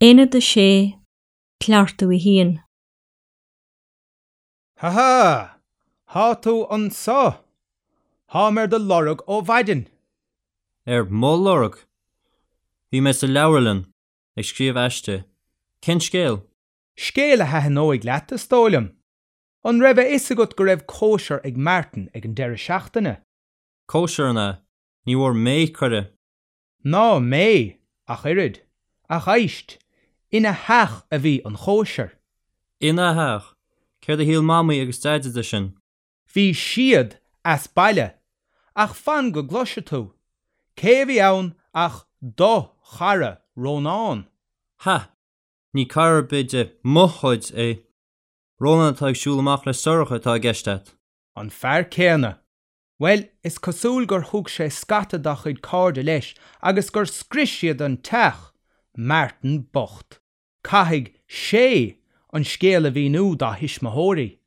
Aonad 6, Cleachtadh 1. Ha ha! Thá tú anso! Tháim ar do lorg ó mhaidin. Ar mo lorg? Bhí mé sa leabharlann, ag scríobh aiste. Cén scéal? Scéal a thaitneoidh leat, is dóigh liom. An raibh a fhios agat go raibh cóisir ag Martin ag an deireadh seachtaine? Cóisir, an ea? Ní bhfuair mé cuireadh. Ná mé, ach oiread. Ach éist, ina theach a bhí an chóisir. Ina theach? Céard a shíl Mamaí agus Deaide de sin? Bhí siad as baile. Ach fan go gcloise tú. Cé a bhí ann ach do chara, Rónán. Ha! Ní cara ar bith de mo chuid é. Rónán atá ag siúl amach le Sorcha atá i gceist a't. An fear céanna. Bhuel, is cosúil gur thug sé scata dá chuid cairde leis agus gur scrios siad an teach! Martin bocht. Caithfidh sé an scéal a mhíniú dá thuismitheoirí.